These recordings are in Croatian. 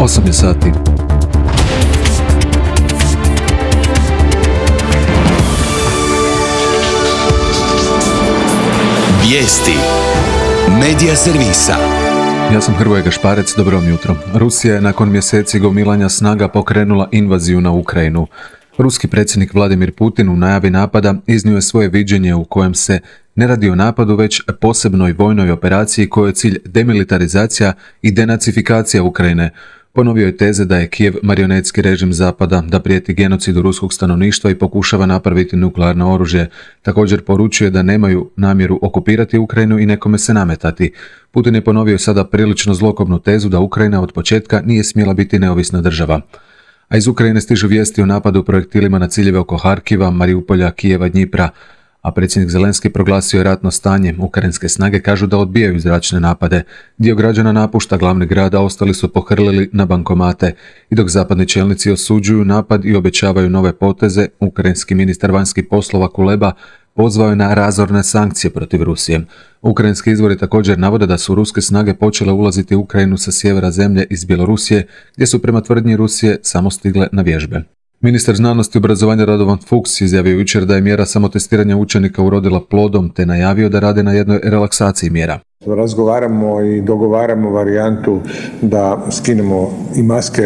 8 je sati. Vijesti Medija servisa. Ja sam Hrvoje Gašparec, dobro vam jutro. Rusija je nakon mjeseci gomilanja snaga pokrenula invaziju na Ukrajinu. Ruski predsjednik Vladimir Putin u najavi napada iznio je svoje viđenje u kojem se ne radi o napadu, već posebnoj vojnoj operaciji kojoj je cilj demilitarizacija i denacifikacija Ukrajine. Ponovio je teze da je Kijev marionetski režim Zapada, da prijeti genocidu ruskog stanovništva i pokušava napraviti nuklearno oružje. Također poručuje da nemaju namjeru okupirati Ukrajinu i nekome se nametati. Putin je ponovio sada prilično zlokobnu tezu da Ukrajina od početka nije smjela biti neovisna država. A iz Ukrajine stižu vijesti o napadu projektilima na ciljeve oko Harkiva, Mariupolja, Kijeva, Dnjipra, a predsjednik Zelenski proglasio je ratno stanje. Ukrajinske snage kažu da odbijaju zračne napade. Dio građana napušta glavni grad, a ostali su pohrlili na bankomate. I dok zapadni čelnici osuđuju napad i obećavaju nove poteze, ukrajinski ministar vanjskih poslova Kuleba pozvao je na razorne sankcije protiv Rusije. Ukrajinski izvori također navode da su ruske snage počele ulaziti u Ukrajinu sa sjevera zemlje iz Bjelorusije, gdje su prema tvrdnji Rusije samo stigle na vježbe. Ministar znanosti i obrazovanja Radovan Fuchs izjavio jučer da je mjera samotestiranja učenika urodila plodom, te najavio da rade na jednoj relaksaciji mjera. Razgovaramo i dogovaramo varijantu da skinemo i maske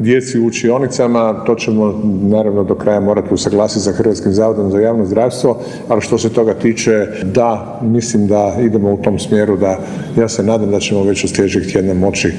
djeci u učionicama. To ćemo naravno do kraja morati usaglasiti sa Hrvatskim zavodom za javno zdravstvo, ali što se toga tiče, da, mislim da idemo u tom smjeru, da ja se nadam da ćemo već od sljedećeg tjedna moći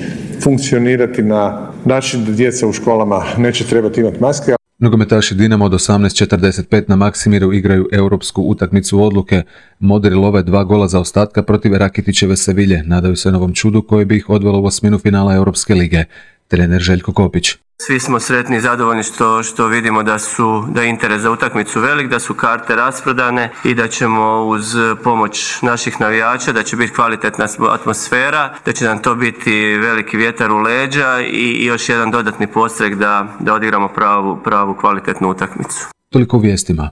funkcionirati na način da djeca u školama neće trebati imati maske. Nogometaši Dinamo od 18:45 na Maksimiru igraju europsku utakmicu odluke. Modri love 2 gola za ostatka protiv Rakitićeve Sevilje. Nadaju se novom čudu koje bi ih odvelo u osminu finala Europske lige. Trener Željko Kopić. Svi smo sretni i zadovoljni što vidimo da je interes za utakmicu velik, da su karte rasprodane i da ćemo uz pomoć naših navijača, da će biti kvalitetna atmosfera, da će nam to biti veliki vjetar u leđa i još jedan dodatni podstrek da odigramo pravu kvalitetnu utakmicu. Toliko u vijestima.